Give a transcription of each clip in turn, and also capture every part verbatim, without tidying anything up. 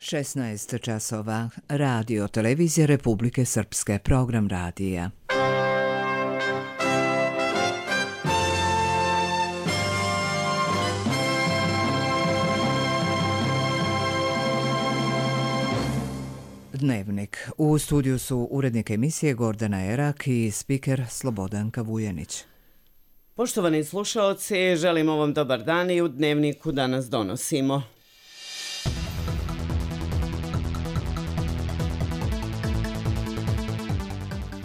šesnaest časova. Radio Televizija Republike Srpske. Program radija. Dnevnik. U studiju su urednik emisije Gordana Erak i spiker Slobodanka Vujanić. Poštovani slušaoci, želimo vam dobar dan i u Dnevniku danas donosimo.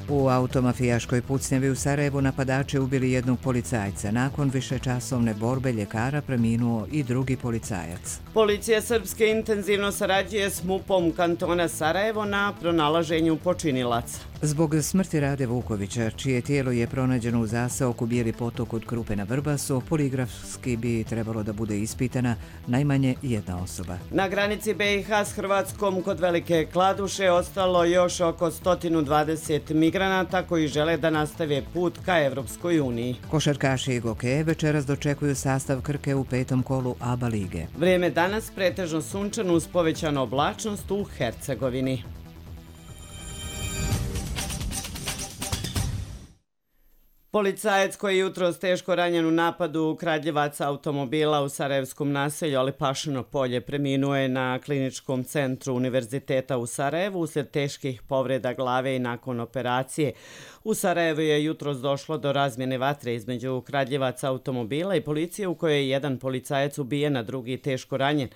U automafijaškoj pucnjavi u Sarajevu napadači ubili jednog policajca. Nakon višečasovne borbe ljekara preminuo i drugi policajac. Policija Srpske intenzivno sarađuje s MUP-om kantona Sarajevo na pronalaženju počinilaca. Zbog smrti Rade Vukovića, čije tijelo je pronađeno u zaseoku Bijeli potok od Krupe na Vrbasu, poligrafski bi trebalo da bude ispitana najmanje jedna osoba. Na granici B i H s Hrvatskom kod Velike Kladuše ostalo još oko sto dvadeset migranata koji žele da nastave put ka Evropskoj uniji. Košarkaši i Gokeje večeras dočekuju sastav Krke u petom kolu A B A lige. Vrijeme danas pretežno sunčano uz povećanu oblačnost u Hercegovini. Policajac koji je jutros teško ranjen u napadu kradljivaca automobila u sarajevskom naselju Alipašino polje preminuo je na kliničkom centru Univerziteta u Sarajevu uslijed teških povreda glave i nakon operacije. U Sarajevu je jutros došlo do razmjene vatre između kradljivaca automobila i policije u kojoj je jedan policajac ubijen, a drugi teško ranjen.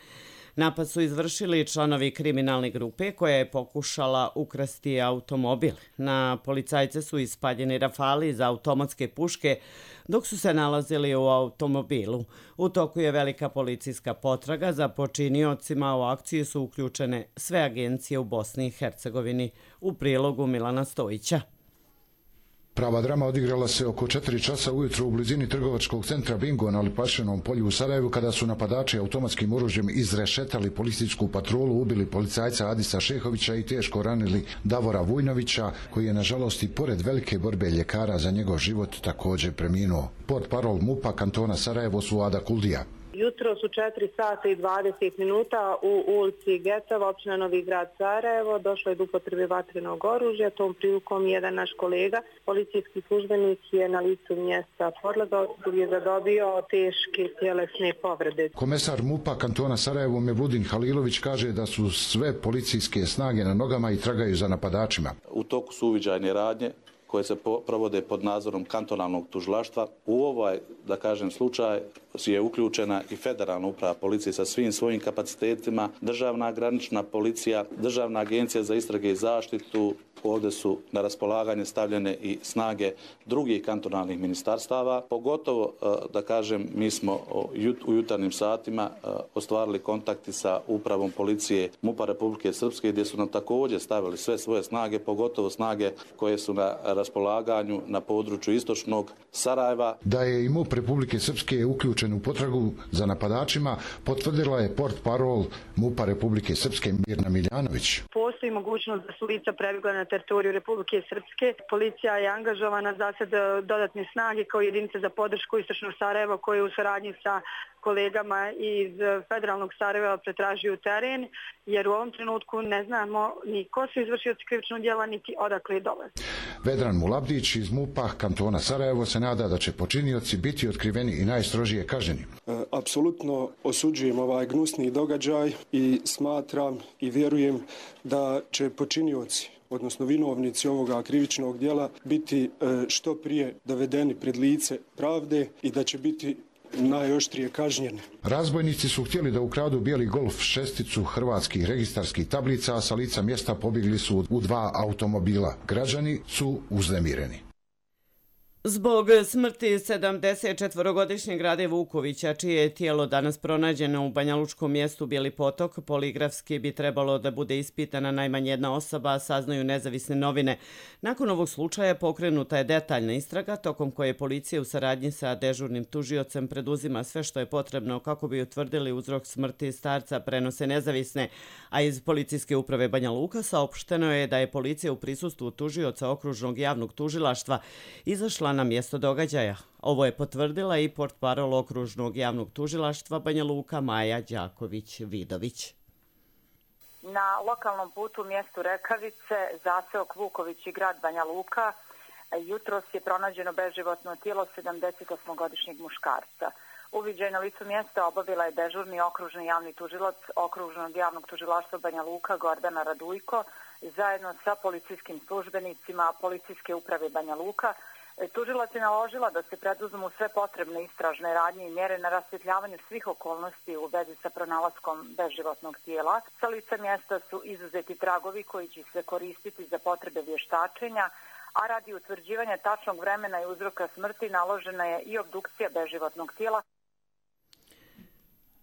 Napad su izvršili članovi kriminalne grupe koja je pokušala ukrasti automobil. Na policajce su ispaljeni rafali iz automatske puške dok su se nalazili u automobilu. U toku je velika policijska potraga za počiniocima. U akciju su uključene sve agencije u Bosni i Hercegovini. U prilogu Milana Stojića. Prava drama odigrala se oko četiri časa ujutro u blizini trgovačkog centra Bingo na Alipašinom polju u Sarajevu kada su napadači automatskim oružjem izrešetali policijsku patrolu, ubili policajca Adisa Šehovića i teško ranili Davora Vujnovića, koji je nažalost i pored velike borbe ljekara za njegov život također preminuo. Portparol MUP-a kantona Sarajevo Suada Kuldija. Jutro su četiri sata i dvadeset minuta u ulici Getova, općina Novi Grad Sarajevo. Došlo je do upotrebe vatrenog oružja. Tom prilikom jedan naš kolega, policijski službenik, je na licu mjesta podlegao i je zadobio teške tjelesne povrede. Komesar MUP-a kantona Sarajevo Mevludin Halilović kaže da su sve policijske snage na nogama i tragaju za napadačima. U toku su uviđajne radnje koje se provode pod nadzorom kantonalnog tužilaštva. U ovaj, da kažem, slučaj je uključena i federalna uprava policije sa svim svojim kapacitetima, državna granična policija, državna agencija za istrage i zaštitu. Ovdje su na raspolaganje stavljene i snage drugih kantonalnih ministarstava. Pogotovo, da kažem, mi smo u jutarnjim satima ostvarili kontakti sa upravom policije MUP-a Republike Srpske gdje su nam također stavili sve svoje snage, pogotovo snage koje su na raspolaganju na području istočnog Sarajeva. Da je i MUP Republike Srpske uključen u potragu za napadačima, potvrdila je portparol MUP-a Republike Srpske Mirna Miljanović. Postoji mogućnost da su lica prebjegla na teritoriju Republike Srpske. Policija je angažovana za sad dodatne snage kao jedinice za podršku istočnog Sarajeva koje u saradnji sa kolegama iz federalnog Sarajeva pretražuju teren, jer u ovom trenutku ne znamo ni ko su izvršioci krivičnog djela, niti odakle dolaze. Vedran Mulabdić iz MUP-a kantona Sarajevo se nada da će počinioci biti otkriveni i najstrožije kažnjeni. E, apsolutno osuđujem ovaj gnusni događaj i smatram i vjerujem da će počinioci, odnosno vinovnici ovoga krivičnog djela, biti što prije dovedeni pred lice pravde i da će biti najoštrije kažnjene. Razbojnici su htjeli da ukradu bijeli Golf šesticu hrvatskih registarskih tablica, a sa lica mjesta pobjegli su u dva automobila. Građani su uznemireni. Zbog smrti sedamdesetčetvorogodišnjeg Rade Vukovića, čije je tijelo danas pronađeno u banjalučkom mjestu Bijeli potok, poligrafski bi trebalo da bude ispitana najmanje jedna osoba, saznaju nezavisne novine. Nakon ovog slučaja pokrenuta je detaljna istraga, tokom koje policija u saradnji sa dežurnim tužiocem preduzima sve što je potrebno kako bi utvrdili uzrok smrti starca, prenose nezavisne, a iz policijske uprave Banja Luka saopšteno je da je policija u prisustvu tužioca okružnog javnog tužilaštva izašla na mjesto događaja. Ovo je potvrdila i portparol okružnog javnog tužilaštva Banja Luka Maja Đaković-Vidović. Na lokalnom putu u mjestu Rekavice, zaseok Vuković i grad Banja Luka, jutros je pronađeno beživotno tijelo sedamdesetosmogodišnjeg muškarca. Uviđaj na licu mjesta obavila je dežurni okružni javni tužilac Okružnog javnog tužilaštva Banja Luka Gordana Radujko zajedno sa policijskim službenicima Policijske uprave Banja Luka. Tužilac je naložila da se preduzmu sve potrebne istražne radnje i mjere na rasvjetljavanju svih okolnosti u vezi sa pronalaskom beživotnog tijela. Sa lica mjesta su izuzeti tragovi koji će se koristiti za potrebe vještačenja, a radi utvrđivanja tačnog vremena i uzroka smrti naložena je i obdukcija beživotnog tijela.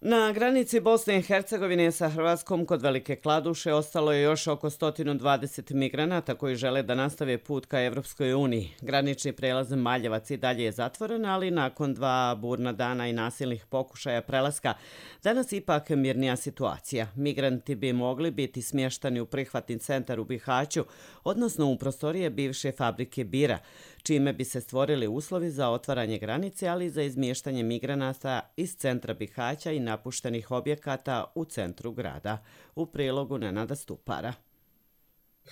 Na granici Bosne i Hercegovine sa Hrvatskom kod Velike Kladuše ostalo je još oko sto dvadeset migranata koji žele da nastave put ka Evropskoj uniji. Granični prelaz Maljevac i dalje je zatvoren, ali nakon dva burna dana i nasilnih pokušaja prelaska, danas ipak mirnija situacija. Migranti bi mogli biti smještani u prihvatni centar u Bihaću, odnosno u prostorije bivše fabrike bira, čime bi se stvorili uslovi za otvaranje granice, ali i za izmještanje migranata iz centra Bihaća i napuštenih objekata u centru grada. U prilogu Nenada Stupara.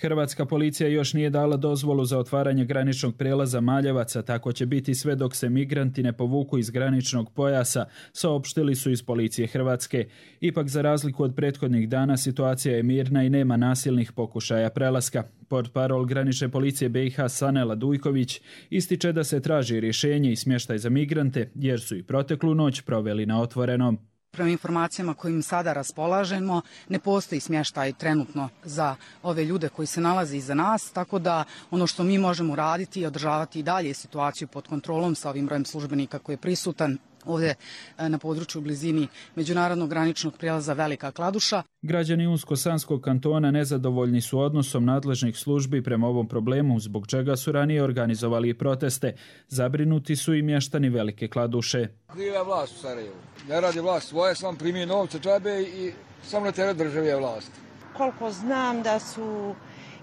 Hrvatska policija još nije dala dozvolu za otvaranje graničnog prijelaza Maljevaca, tako će biti sve dok se migranti ne povuku iz graničnog pojasa, saopštili su iz policije Hrvatske. Ipak, za razliku od prethodnih dana, situacija je mirna i nema nasilnih pokušaja prelaska. Portparol granične policije B i H Sanela Dujković ističe da se traži rješenje i smještaj za migrante, jer su i proteklu noć proveli na otvorenom. Prema informacijama kojim sada raspolažemo, ne postoji smještaj trenutno za ove ljude koji se nalaze iza nas, tako da ono što mi možemo raditi je održavati i dalje situaciju pod kontrolom sa ovim brojem službenika koji je prisutan ovdje na području u blizini međunarodnog graničnog prijelaza Velika Kladuša. Građani Unsko-Sanskog kantona nezadovoljni su odnosom nadležnih službi prema ovom problemu, zbog čega su ranije organizovali proteste. Zabrinuti su i mještani Velike Kladuše. Kriva vlast u Sarajevu. Ne radi vlast svoje, sam primi novce džabe i samo na teret države je vlast. Koliko znam da su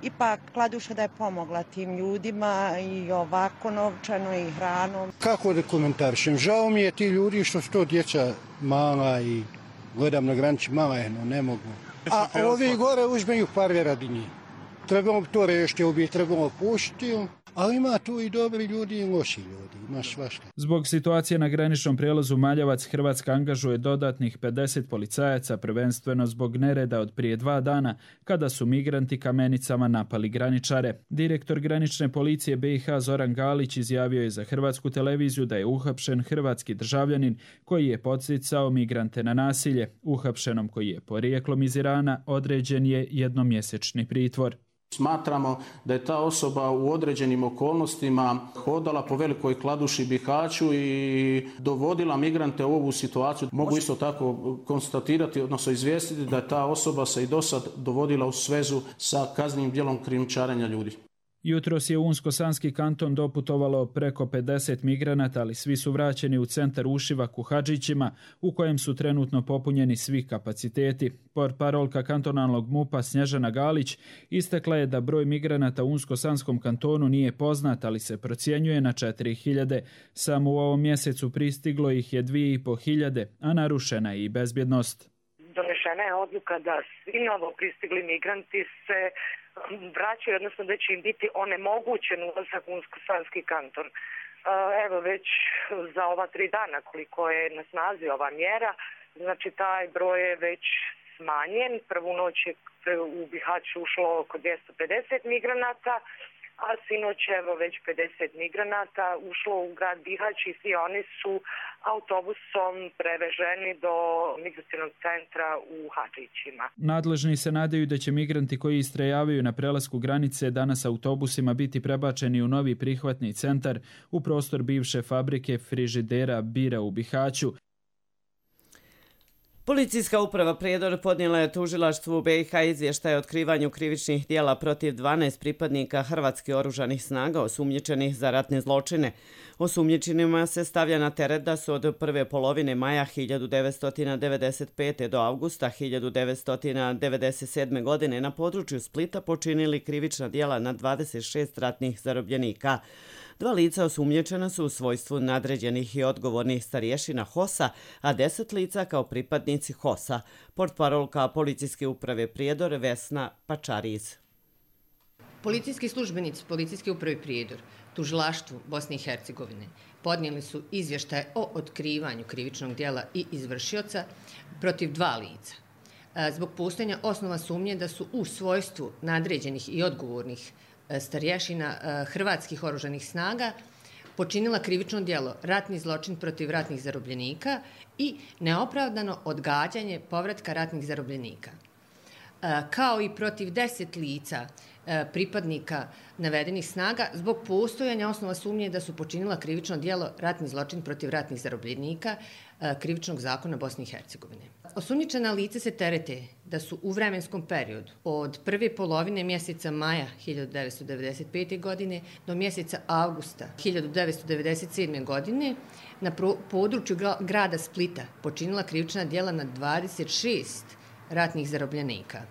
ipak Kladuša da je pomogla tim ljudima i ovako novčano i hranom. Kako da komentarišem? Žao mi je ti ljudi što su to djeca mala i gledam na granici mala je, no ne mogu. A ovi gore uzmeju pare radi njih. Trebamo to rešiti, obi trebamo puštiti, ali ima tu i dobri ljudi i loši ljudi, ima svašta. Zbog situacije na graničnom prijelazu Maljevac, Hrvatska angažuje dodatnih pedeset policajaca, prvenstveno zbog nereda od prije dva dana, kada su migranti kamenicama napali graničare. Direktor granične policije B i H Zoran Galić izjavio je za Hrvatsku televiziju da je uhapšen hrvatski državljanin koji je podsticao migrante na nasilje. Uhapšenom, koji je porijeklom iz Irana, određen je jednomjesečni pritvor. Smatramo da je ta osoba u određenim okolnostima hodala po Velikoj Kladuši, Bihaću i dovodila migrante u ovu situaciju. Mogu isto tako konstatirati, odnosno izvijestiti da je ta osoba se i dosad dovodila u svezu sa kaznenim djelom krijumčarenja ljudi. Jutros je u Unsko-Sanski kanton doputovalo preko pedeset migranata, ali svi su vraćeni u centar Ušivak u Hadžićima, u kojem su trenutno popunjeni svi kapaciteti. Portparolka kantonalnog MUP-a Snježana Galić istakla je da broj migranata u Unsko-Sanskom kantonu nije poznat, ali se procjenjuje na četiri hiljade. Samo u ovom mjesecu pristiglo ih je dvije i po hiljade, a narušena je i bezbjednost. Donešena je odluka da svi novo pristigli migranti se vraćaju, odnosno da će im biti onemogućen ulazak u Unsko-Sanski kanton. Evo već za ova tri dana koliko je na snazi ova mjera, znači taj broj je već smanjen. Prvu noć je u Bihać ušlo oko dvjesto pedeset migranata, a sinoć evo već pedeset migranata ušlo u grad Bihać i svi oni su autobusom preveženi do migracionog centra u Hadžićima. Nadležni se nadaju da će migranti koji istrajavaju na prelasku granice danas autobusima biti prebačeni u novi prihvatni centar u prostor bivše fabrike frižidera bira u Bihaću. Policijska uprava Prijedor podnijela je tužilaštvu B i H izvještaj o otkrivanju krivičnih djela protiv dvanaest pripadnika hrvatskih oružanih snaga osumnjičenih za ratne zločine. Osumnjičenima se stavlja na teret da su od prve polovine maja hiljadu devetsto devedeset pete. do avgusta hiljadu devetsto devedeset sedme. godine na području Splita počinili krivična djela na dvadeset šest ratnih zarobljenika. Dva lica osumnjičena su u svojstvu nadređenih i odgovornih starješina H O S-a, a deset lica kao pripadnici H O S-a. Portparolka Policijske uprave Prijedor Vesna Pačariz. Policijski službenici Policijske uprave Prijedor tužilaštvu Bosne i Hercegovine podnijeli su izvještaj o otkrivanju krivičnog djela i izvršioca protiv dva lica. Zbog postojanja osnova sumnje da su u svojstvu nadređenih i odgovornih starješina hrvatskih oružanih snaga počinila krivično djelo ratni zločin protiv ratnih zarobljenika i neopravdano odgađanje povratka ratnih zarobljenika, kao i protiv deset lica pripadnika navedenih snaga zbog postojanja osnova sumnje da su počinila krivično djelo ratni zločin protiv ratnih zarobljenika krivičnog zakona Bosne i Hercegovine. Osumnjičena lica se terete da su u vremenskom periodu od prve polovine mjeseca maja hiljadu devetsto devedeset pete. godine do mjeseca avgusta hiljadu devetsto devedeset sedme. godine na području grada Splita počinila krivična djela na dvadeset šest ratnih zarobljenika.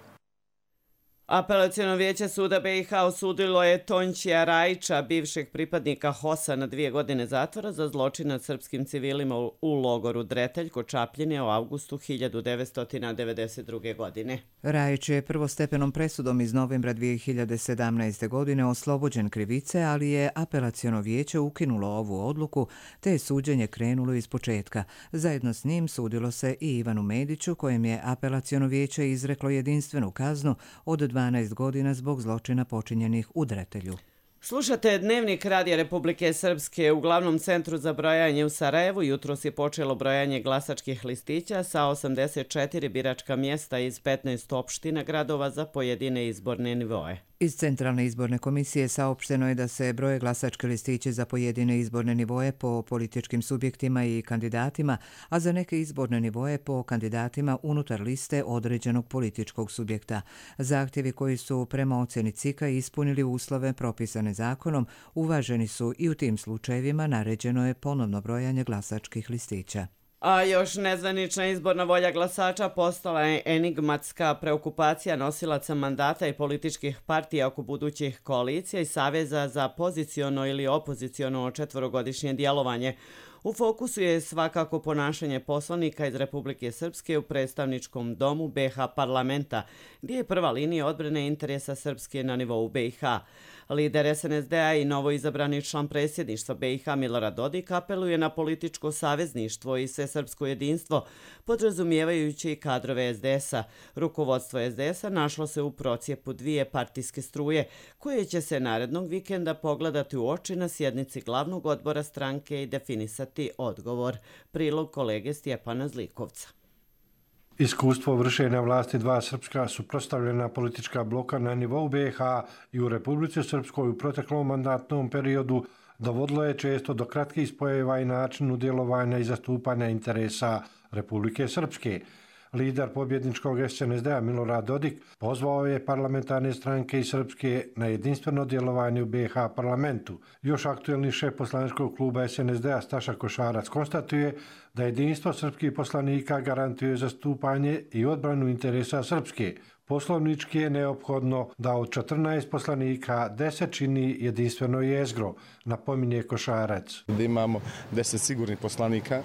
Apelaciono vijeće suda B i H osudilo je Tončija Rajića, bivšeg pripadnika H O S-a, na dvije godine zatvora za zločin nad srpskim civilima u logoru Dretelj kod Čapljine u avgustu hiljadu devetsto devedeset druge. godine. Rajić je prvostepenom presudom iz novembra dvije hiljade sedamnaeste. godine oslobođen krivice, ali je apelaciono vijeće ukinulo ovu odluku, te je suđenje krenulo iz početka. Zajedno s njim sudilo se i Ivanu Mediću, kojem je apelaciono vijeće izreklo jedinstvenu kaznu od dvanaest godina zbog zločina počinjenih u Dretelju. Slušate Dnevnik Radija Republike Srpske. U glavnom centru za brojanje u Sarajevu jutros je počelo brojanje glasačkih listića sa osamdeset četiri biračka mjesta iz petnaest opština gradova za pojedine izborne nivoe. Iz Centralne izborne komisije saopšteno je da se broje glasačke listiće za pojedine izborne nivoe po političkim subjektima i kandidatima, a za neke izborne nivoe po kandidatima unutar liste određenog političkog subjekta. Zahtjevi koji su prema ocjeni C I K-a ispunili uslove propisane zakonom, uvaženi su i u tim slučajevima naređeno je ponovno brojanje glasačkih listića. A još nezvanična izborna volja glasača postala je enigmatska preokupacija nosilaca mandata i političkih partija oko budućih koalicija i Saveza za poziciono ili opoziciono četvorogodišnje djelovanje. U fokusu je svakako ponašanje poslanika iz Republike Srpske u predstavničkom domu B i H parlamenta, gdje je prva linija odbrane interesa Srpske na nivou B i H. Lider S N S D-a i novoizabrani član predsjedništva B i H Milorad Dodik apeluje na političko savezništvo i svesrpsko jedinstvo, podrazumijevajući i kadrove S D S-a. Rukovodstvo S D S-a našlo se u procijepu dvije partijske struje, koje će se narednog vikenda pogledati u oči na sjednici glavnog odbora stranke i definisati odgovor. Prilog kolege Stjepana Zlikovca. Iskustvo vršenja vlasti dva srpska suprotstavljena politička bloka na nivou B i H i u Republici Srpskoj u proteklom mandatnom periodu dovodilo je često do kratkih spojeva i načinu djelovanja i zastupanja interesa Republike Srpske. Lider pobjedničkog S N S D-a Milorad Dodik pozvao je parlamentarne stranke iz Srpske na jedinstveno djelovanje u B i H parlamentu. Još aktuelni šef poslaničkog kluba S N S D-a Staša Košarac konstatuje da jedinstvo srpskih poslanika garantuje zastupanje i odbranu interesa Srpske. Poslovnički je neophodno da od četrnaest poslanika deset čini jedinstveno jezgro, napominje Košarac. Da imamo deset sigurnih poslanika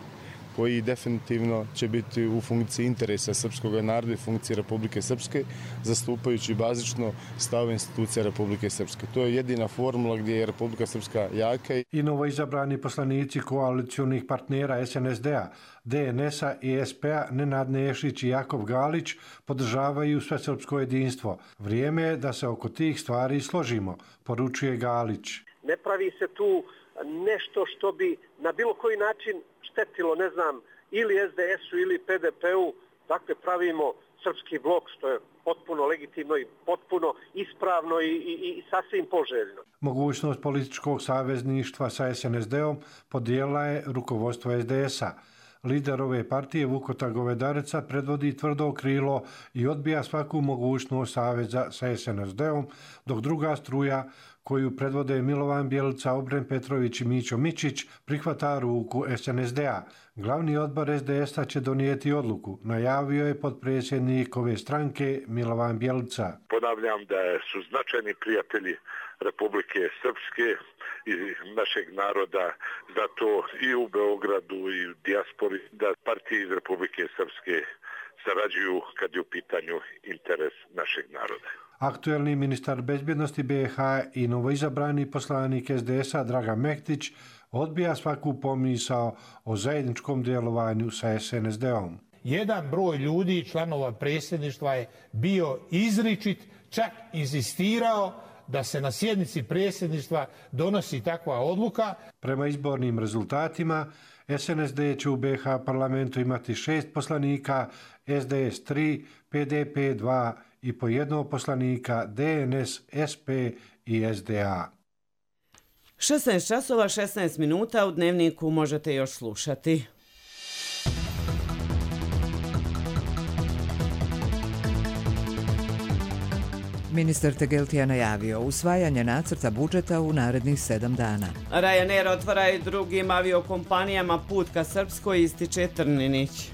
koji definitivno će biti u funkciji interesa srpskog naroda i funkcije Republike Srpske, zastupajući bazično stavove institucija Republike Srpske. To je jedina formula gdje je Republika Srpska jaka. I novoizabrani poslanici koalicionih partnera S N S D-a, D N S-a i S P-a Nenad Nešić i Jakov Galić podržavaju svesrpsko jedinstvo. Vrijeme je da se oko tih stvari složimo, poručuje Galić. Ne pravi se tu nešto što bi na bilo koji način štetilo, ne znam, ili S D S-u ili P D P-u, dakle pravimo srpski blok, što je potpuno legitimno i potpuno ispravno i, i, i sasvim poželjno. Mogućnost političkog savezništva sa S N S D-om podijela je rukovodstvo S D S-a. Lider ove partije Vukota Govedareca predvodi tvrdo krilo i odbija svaku mogućnost saveza sa S N S D-om, dok druga struja koju predvode Milovan Bjelica, Obren Petrović i Mićo Mičić prihvata ruku S N S D-a. Glavni odbor S D S-a će donijeti odluku, najavio je potpredsjednik ove stranke Milovan Bjelica. Ponavljam da su značajni prijatelji Republike Srpske i našeg naroda za to i u Beogradu i u dijaspori, da partije iz Republike Srpske sarađuju kad je u pitanju interes našeg naroda. Aktuelni ministar bezbjednosti B iH i novoizabrani poslanik S D S-a Dragan Mektić odbija svaku pomisao o zajedničkom djelovanju sa S N S D-om. Jedan broj ljudi, članova predsjedništva, je bio izričit, čak inzistirao da se na sjednici predsjedništva donosi takva odluka. Prema izbornim rezultatima, S N S D će u B iH parlamentu imati šest poslanika, S D S tri, P D P dva i po jednog poslanika, D N S, S P i S D A. šesnaest časova šesnaest minuta u Dnevniku možete još slušati. Ministar Tegeltija najavio usvajanje nacrta budžeta u narednih sedam dana. Ryanair otvara i drugim aviokompanijama put ka Srpskoj, ističe Trninić.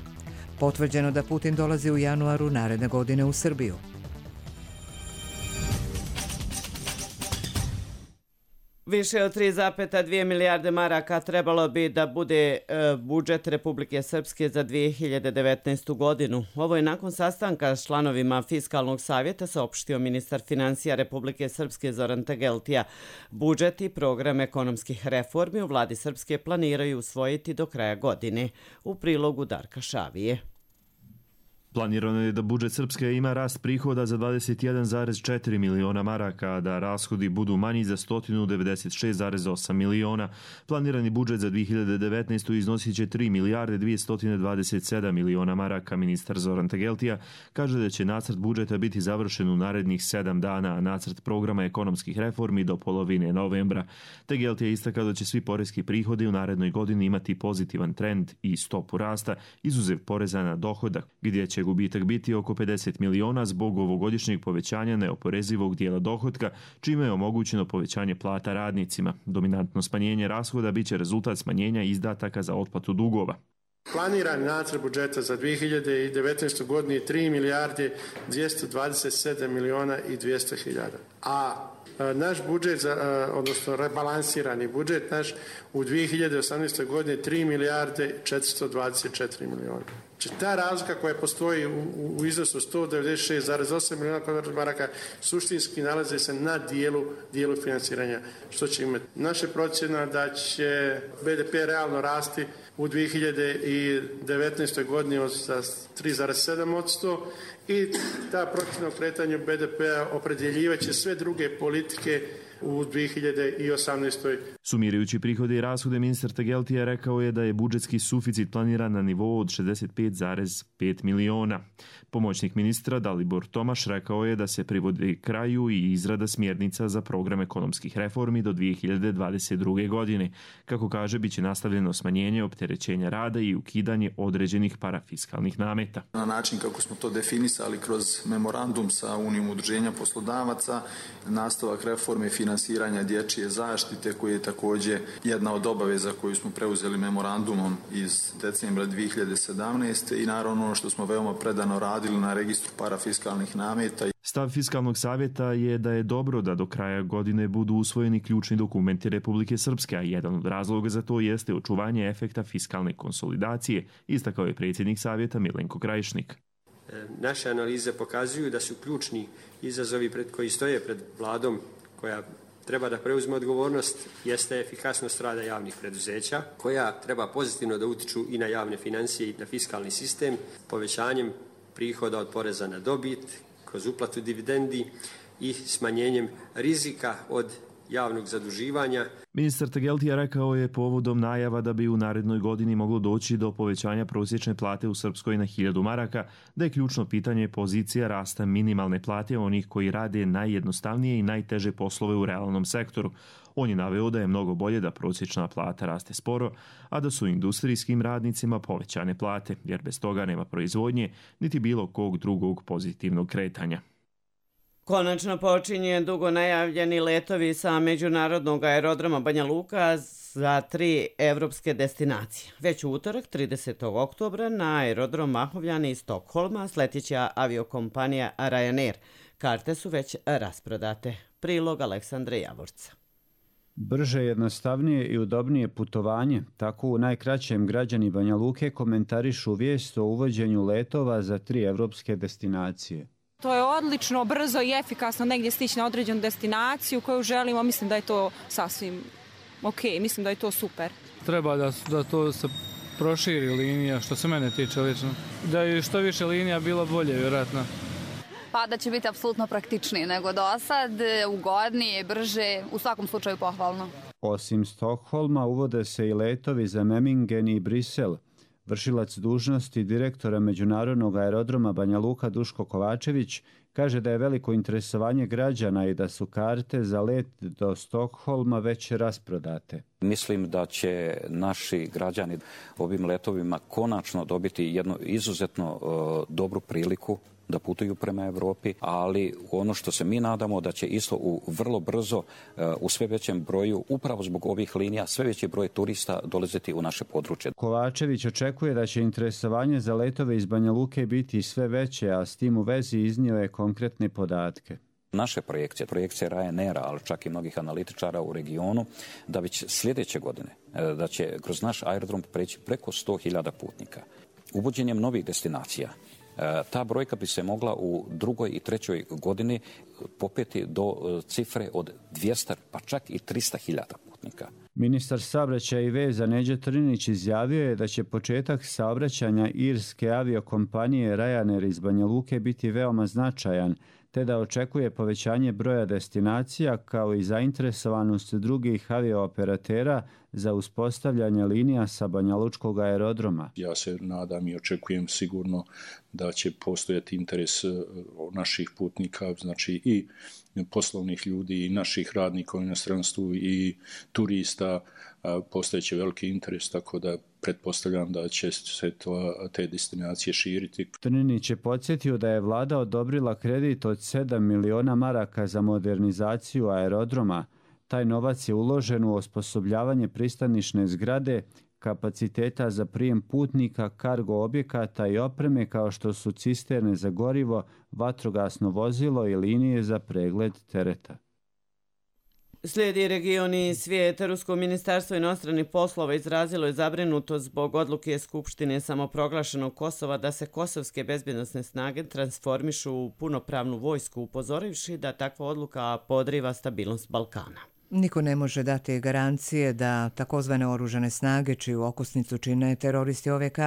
Potvrđeno da Putin dolazi u januaru naredne godine u Srbiju. Više od tri zarez dvije milijarde maraka trebalo bi da bude e, budžet Republike Srpske za dvije hiljade devetnaestu. godinu. Ovo je nakon sastanka s članovima Fiskalnog savjeta saopštio ministar financija Republike Srpske Zoran Tegeltija. Budžet i program ekonomskih reformi u vladi Srpske planiraju usvojiti do kraja godine. U prilogu Darka Šavije. Planirano je da budžet Srpske ima rast prihoda za dvadeset jedan zarez četiri miliona maraka, a da rashodi budu manji za sto devedeset šest zarez osam miliona. Planirani budžet za dvije hiljade devetnaestu. iznosit će tri milijarde dvjesto dvadeset sedam miliona maraka. Ministar Zoran Tegeltija kaže da će nacrt budžeta biti završen u narednih sedam dana, a nacrt programa ekonomskih reformi do polovine novembra. Tegeltija istakao da će svi poreski prihodi u narednoj godini imati pozitivan trend i stopu rasta, izuzev poreza na dohodak, gdje će gubitak biti oko pedeset miliona zbog ovogodišnjeg povećanja neoporezivog dijela dohotka, čime je omogućeno povećanje plata radnicima. Dominantno smanjenje rashoda biće rezultat smanjenja izdataka za otplatu dugova. Planirani nacrt budžeta za dvije hiljade devetnaestu. godinu je tri milijarde dvjesto dvadeset sedam miliona i dvjesto hiljada. A naš budžet, odnosno rebalansirani budžet naš u dvije hiljade osamnaestoj. godini tri milijarde četiristo dvadeset četiri miliona. Znači ta razlika koja postoji u, u iznosu sto devedeset šest zarez osam miliona kvadratnih maraka suštinski nalaze se na dijelu, dijelu financiranja. Što će imati? Naša procjena da će B D P realno rasti u dvije hiljade devetnaestoj. godini za tri zarez sedam posto i ta procjena o kretanju B D P-a opredjeljivaće sve druge politike u dvije hiljade osamnaestoj. Sumirajući prihode i rashode, ministar Tegeltija rekao je da je budžetski suficit planiran na nivou od šezdeset pet zarez pet miliona. Pomoćnik ministra Dalibor Tomaš rekao je da se privodi kraju i izrada smjernica za program ekonomskih reformi do dvije hiljade dvadeset druge. godine. Kako kaže, biće nastavljeno smanjenje opterećenja rada i ukidanje određenih parafiskalnih nameta. Na način kako smo to definisali kroz memorandum sa Unijom udruženja poslodavaca, nastavak reforme finansiranja dječje zaštite, koji je također jedna od obaveza koju smo preuzeli memorandumom iz decembra dvije hiljade sedamnaeste. i naravno ono što smo veoma predano radili na registru parafiskalnih nameta. Stav Fiskalnog savjeta je da je dobro da do kraja godine budu usvojeni ključni dokumenti Republike Srpske, a jedan od razloga za to jeste očuvanje efekta fiskalne konsolidacije, istakao je predsjednik savjeta Milenko Krajišnik. Naše analize pokazuju da su ključni izazovi pred koji stoje pred vladom koja treba da preuzme odgovornost jeste efikasnost rada javnih preduzeća, koja treba pozitivno da utiču i na javne financije i na fiskalni sistem, povećanjem prihoda od poreza na dobit, kroz uplatu dividendi i smanjenjem rizika od javnog zaduživanja. Ministar Tegeltija rekao je povodom najava da bi u narednoj godini moglo doći do povećanja prosječne plate u Srpskoj na hiljadu maraka, da je ključno pitanje pozicija rasta minimalne plate onih koji rade najjednostavnije i najteže poslove u realnom sektoru. On je naveo da je mnogo bolje da prosječna plata raste sporo, a da su industrijskim radnicima povećane plate, jer bez toga nema proizvodnje niti bilo kog drugog pozitivnog kretanja. Konačno počinje dugo najavljeni letovi sa međunarodnog aerodroma Banja Luka za tri evropske destinacije. Već u utorak, tridesetog oktobra, na aerodrom Mahovljani iz Stokholma sletjeća aviokompanija Ryanair. Karte su već rasprodate. Prilog Aleksandre Javorca. Brže, jednostavnije i udobnije putovanje, tako u najkraćem građani Banja Luke komentarišu vijest o uvođenju letova za tri evropske destinacije. To je odlično, brzo i efikasno negdje stići na određenu destinaciju koju želimo. Mislim da je to sasvim ok, mislim da je to super. Treba da, da to se proširi linija, što se mene tiče lično. Da je što više linija bilo bolje, vjerojatno. Pa da će biti apsolutno praktičnije nego do sad, ugodnije, brže, u svakom slučaju pohvalno. Osim Stokholma uvode se i letovi za Memmingen i Brisel. Vršilac dužnosti direktora Međunarodnog aerodroma Banja Luka Duško Kovačević kaže da je veliko interesovanje građana i da su karte za let do Stokholma već rasprodate. Mislim da će naši građani ovim letovima konačno dobiti jednu izuzetno uh, dobru priliku da putuju prema Evropi, ali ono što se mi nadamo da će isto u vrlo brzo, u sve većem broju, upravo zbog ovih linija, sve veći broj turista dolaziti u naše područje. Kovačević očekuje da će interesovanje za letove iz Banja Luke biti sve veće, a s tim u vezi iznio je konkretne podatke. Naše projekcije, projekcije Ryanaira, ali čak i mnogih analitičara u regionu, da već sljedeće godine, da će kroz naš aerodrom preći preko sto hiljada putnika. Uvođenjem novih destinacija, ta brojka bi se mogla u drugoj i trećoj godini popeti do cifre od dvjesto, pa čak i tristo hiljada putnika. Ministar saobraćaja i veza Neđo Trinić izjavio je da će početak saobraćanja irske aviokompanije Ryanair iz Banja Luke biti veoma značajan, te da očekuje povećanje broja destinacija kao i zainteresovanost drugih avioperatera za uspostavljanje linija sa banjalučkog aerodroma. Ja se nadam i očekujem sigurno da će postojati interes naših putnika, znači i poslovnih ljudi i naših radnika u inostranstvu i turista, postojeće veliki interes, tako da pretpostavljam da će se to, te destinacije širiti. Trninić je podsjetio da je vlada odobrila kredit od sedam miliona maraka za modernizaciju aerodroma. Taj novac je uložen u osposobljavanje pristanišne zgrade, kapaciteta za prijem putnika, kargo objekata i opreme kao što su cisterne za gorivo, vatrogasno vozilo i linije za pregled tereta. Slijedi region i svijet. Rusko ministarstvo inostranih poslova izrazilo je zabrinutost zbog odluke Skupštine samoproglašenog Kosova da se kosovske bezbjednosne snage transformišu u punopravnu vojsku, upozorivši da takva odluka podriva stabilnost Balkana. Niko ne može dati garancije da takozvane oružane snage, čiju okosnicu čine teroristi O V K,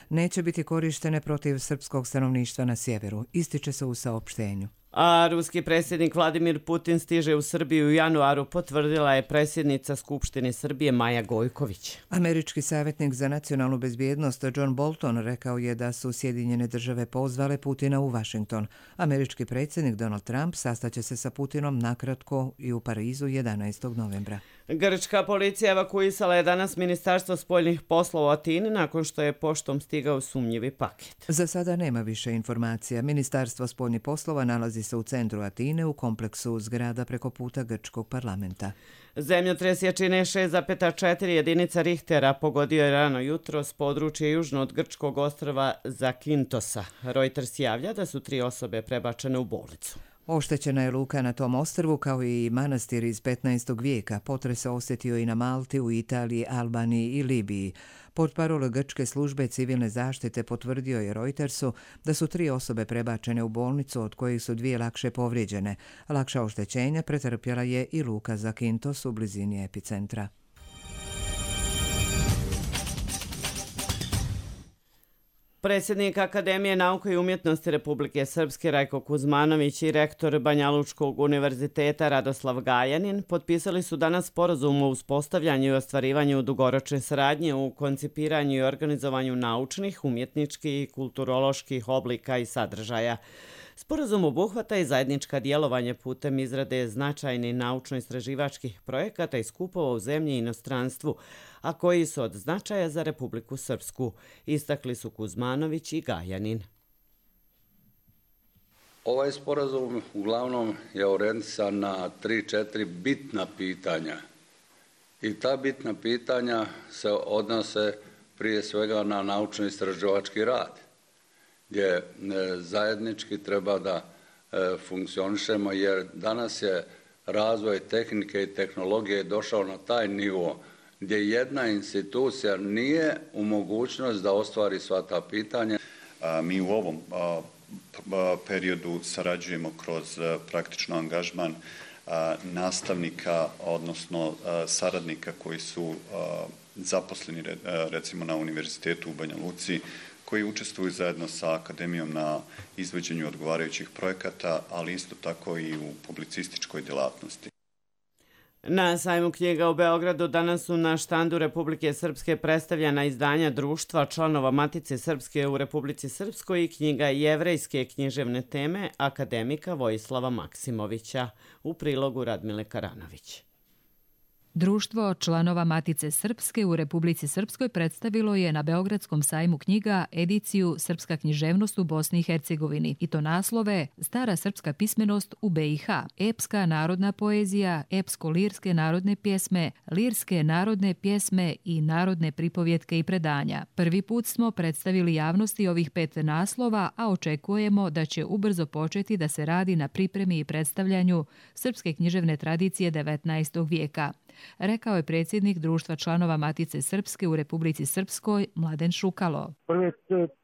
neće biti korištene protiv srpskog stanovništva na sjeveru, ističe se u saopštenju. A ruski predsjednik Vladimir Putin stiže u Srbiju u januaru, potvrdila je predsjednica Skupštine Srbije Maja Gojković. Američki savjetnik za nacionalnu bezbjednost John Bolton rekao je da su Sjedinjene države pozvale Putina u Washington. Američki predsjednik Donald Trump sastaće se sa Putinom nakratko i u Parizu jedanaestog novembra. Grčka policija evakuisala je danas Ministarstvo spoljnih poslova u Atini nakon što je poštom stigao sumnjivi paket. Za sada nema više informacija. Ministarstvo spoljnih poslova nalazi se u centru Atine u kompleksu zgrada preko puta grčkog parlamenta. Zemljotres jačine šest zarez četiri jedinica Richtera pogodio je rano jutro s područja južno od grčkog ostrva Zakintosa. Reuters javlja da su tri osobe prebačene u bolnicu. Oštećena je luka na tom ostrvu kao i manastir iz petnaestog vijeka. Potres se osjetio i na Malti, u Italiji, Albaniji i Libiji. Portparol grčke službe civilne zaštite potvrdio je Reutersu da su tri osobe prebačene u bolnicu, od kojih su dvije lakše povrijeđene. Lakša oštećenja pretrpjela je i luka Zakintos u blizini epicentra. Predsjednik Akademije nauke i umjetnosti Republike Srpske Rajko Kuzmanović i rektor Banjalučkog univerziteta Radoslav Gajanin potpisali su danas sporazum o uspostavljanju i ostvarivanju dugoročne saradnje u koncipiranju i organizovanju naučnih, umjetničkih i kulturoloških oblika i sadržaja. Sporazum obuhvata i zajednička djelovanje putem izrade značajnih naučno-istraživačkih projekata i skupova u zemlji i inostranstvu, a koji su od značaja za Republiku Srpsku, istakli su Kuzmanović i Gajanin. Ovaj sporazum uglavnom je orijentisan na tri četiri bitna pitanja. I ta bitna pitanja se odnose prije svega na naučno-istraživački rad, gdje zajednički treba da funkcionišemo, jer danas je razvoj tehnike i tehnologije došao na taj nivo gdje jedna institucija nije u mogućnost da ostvari sva ta pitanja. Mi u ovom periodu sarađujemo kroz praktično angažman nastavnika, odnosno saradnika koji su zaposleni recimo na Univerzitetu u Banja Luci, koji učestvuju zajedno sa akademijom na izvođenju odgovarajućih projekata, ali isto tako i u publicističkoj djelatnosti. Na sajmu knjiga u Beogradu danas su na štandu Republike Srpske predstavljena izdanja društva članova Matice Srpske u Republici Srpskoj i knjiga jevrejske književne teme akademika Vojislava Maksimovića, u prilogu Radmile Karanović. Društvo članova Matice Srpske u Republici Srpskoj predstavilo je na Beogradskom sajmu knjiga ediciju Srpska književnost u Bosni i Hercegovini, i to naslove Stara srpska pismenost u be i ha, epska narodna poezija, epsko-lirske narodne pjesme, lirske narodne pjesme i narodne pripovjetke i predanja. Prvi put smo predstavili javnosti ovih pet naslova, a očekujemo da će ubrzo početi da se radi na pripremi i predstavljanju srpske književne tradicije devetnaestog vijeka. Rekao je predsjednik Društva članova Matice Srpske u Republici Srpskoj Mladen Šukalo. Prve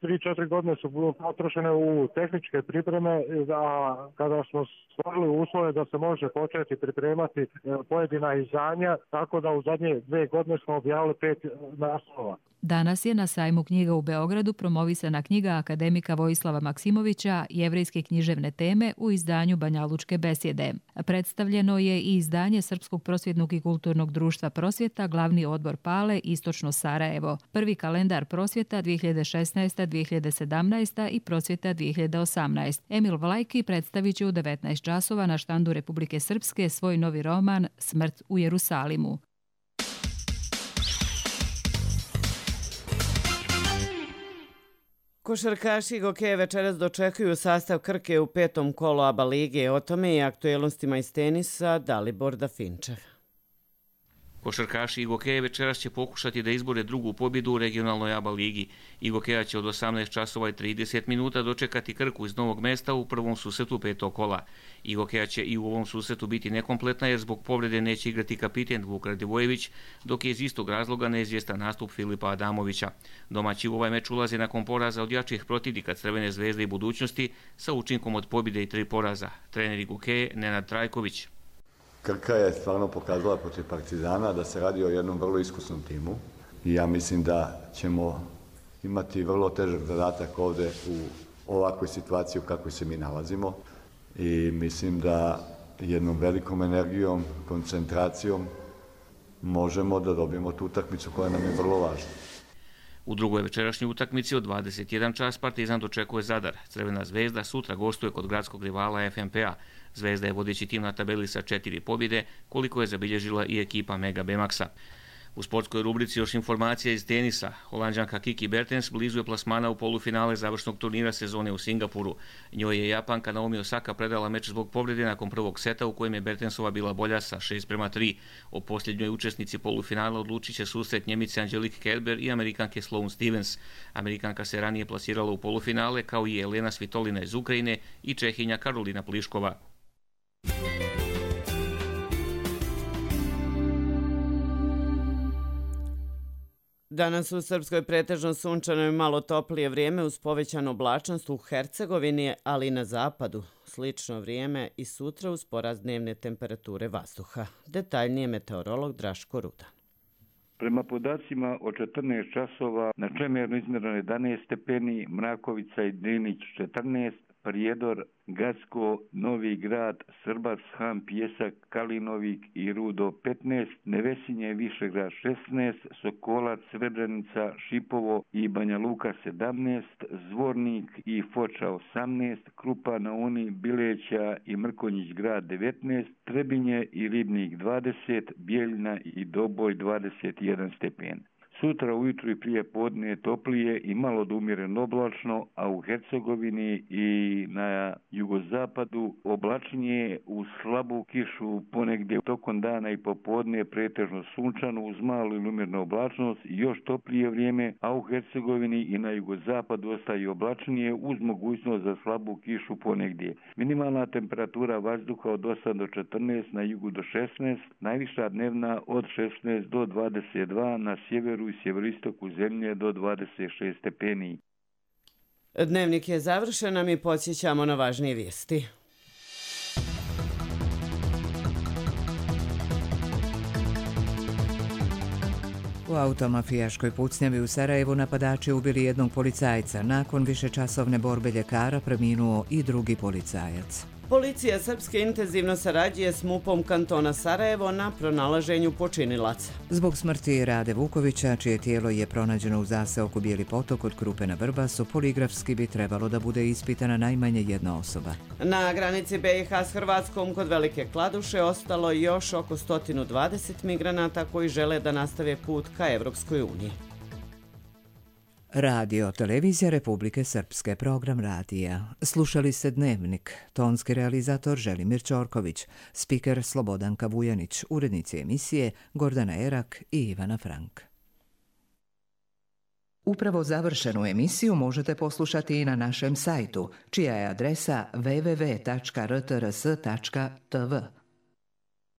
tri četiri godine su potrošene u tehničke pripreme, a kada smo stvorili uslove da se može početi pripremati pojedina izdanja, tako da u zadnje dve godine smo objavili pet naslova. Danas je na sajmu knjiga u Beogradu promovisana knjiga akademika Vojislava Maksimovića Jevrejske književne teme u izdanju Banjalučke besjede. Predstavljeno je i izdanje Srpskog prosvjetnog i kulturnog društva Prosvjeta, glavni odbor Pale, Istočno Sarajevo, prvi kalendar Prosvjeta dvije hiljade šesnaeste dvije hiljade sedamnaeste i Prosvjeta dvije hiljade osamnaeste. Emil Vlajki predstavit će u devetnaest časova na štandu Republike Srpske svoj novi roman Smrt u Jerusalimu. Košarkaši Gokeje večeras dočekuju sastav Krke u petom kolu A B A lige. O tome i aktuelnostima iz tenisa Dalibor Dafinčev. Košarkaši Igokeje večeras će pokušati da izbore drugu pobjedu u regionalnoj A B A ligi. Igokeja će od osamnaest časova i trideset minuta dočekati Krku iz Novog Mesta u prvom susretu petog kola. Igokeja će i u ovom susretu biti nekompletna jer zbog povrede neće igrati kapiten Vuk Radivojević, dok je iz istog razloga neizvjestan nastup Filipa Adamovića. Domaći u ovaj meč ulaze nakon poraza od jačih protivnika Crvene zvezde i Budućnosti sa učinkom od pobjede i tri poraza. Trener Igokeje Nenad Trajković. Krka je stvarno pokazala protiv Partizana da se radi o jednom vrlo iskusnom timu i ja mislim da ćemo imati vrlo težak zadatak ovdje u ovakvoj situaciji u kakvoj se mi nalazimo i mislim da jednom velikom energijom, koncentracijom možemo da dobijemo tu utakmicu koja nam je vrlo važna. U drugoj večerašnjoj utakmici od dvadeset jedan čas Partizan dočekuje Zadar. Crvena zvezda sutra gostuje kod gradskog rivala F M P A. Zvezda je vodeći tim na tabeli sa četiri pobjede, koliko je zabilježila i ekipa Mega Bemaxa. U sportskoj rubrici još informacija iz tenisa. Holanđanka Kiki Bertens blizu je plasmana u polufinale završnog turnira sezone u Singapuru. Njoj je Japanka Naomi Osaka predala meč zbog povrede nakon prvog seta u kojem je Bertensova bila bolja sa šest prema tri. O posljednjoj učesnici polufinala odlučit će susret Njemice Angelique Kerber i Amerikanke Sloane Stevens. Amerikanka se ranije plasirala u polufinale kao i Elena Svitolina iz Ukrajine i Čehinja Karolina Pliškova. Danas u Srpskoj pretežno sunčano i malo toplije vrijeme uz povećanu oblačnost u Hercegovini, ali i na zapadu. Slično vrijeme i sutra uz porast dnevne temperature vazduha. Detaljnije meteorolog Draško Rudan. Prema podacima od četrnaest časova na Čemernu izmjereno jedanaest stepeni, Mrakovica i Drinić četrnaest, Prijedor, Gacko, Novi Grad, Srbac, Han, Pjesak, Kalinovik i Rudo petnaest, Nevesinje, Višegrad šesnaest, Sokolac, Srebrenica, Šipovo i Banja Luka sedamnaest, Zvornik i Foča osamnaest, Krupa na Uni, Bileća i Mrkonjić grad devetnaest, Trebinje i Ribnik dvadeset, Bijeljina i Doboj dvadeset jedan stepen. Sutra ujutru i prije podne toplije i malo do umjereno oblačno, a u Hercegovini i na jugozapadu oblačnije uz slabu kišu ponegdje tokom dana i popodne pretežno sunčano uz malu ili umjernu oblačnost i još toplije vrijeme, a u Hercegovini i na jugozapadu ostaje oblačnije uz mogućnost za slabu kišu ponegdje. Minimalna temperatura vazduha od osam do četrnaest, na jugu do šesnaest, najviša dnevna od šesnaest do dvadeset dva, na sjeveru i sjeveroistoku zemlje do dvadeset šest stepeni. Dnevnik je završen, a mi podsjećamo na važnije vijesti. U automafijaškoj pucnjavi u Sarajevu napadači ubili jednog policajca. Nakon višečasovne borbe ljekara preminuo i drugi policajac. Policija Srpske intenzivno sarađuje s MUP-om kantona Sarajevo na pronalaženju počinilaca. Zbog smrti Rade Vukovića, čije tijelo je pronađeno u zaseoku Bijeli potok od Krupe na Vrbasu, poligrafski bi trebalo da bude ispitana najmanje jedna osoba. Na granici B i H s Hrvatskom kod Velike Kladuše ostalo još oko sto dvadeset migranata koji žele da nastave put ka Evropskoj uniji. Radio Televizija Republike Srpske, program radija. Slušali ste Dnevnik, tonski realizator Želimir Ćorković, spiker Slobodanka Vujanić, urednici emisije Gordana Erak i Ivana Frank. Upravo završenu emisiju možete poslušati i na našem sajtu, čija je adresa w w w tačka r t r s tačka t v.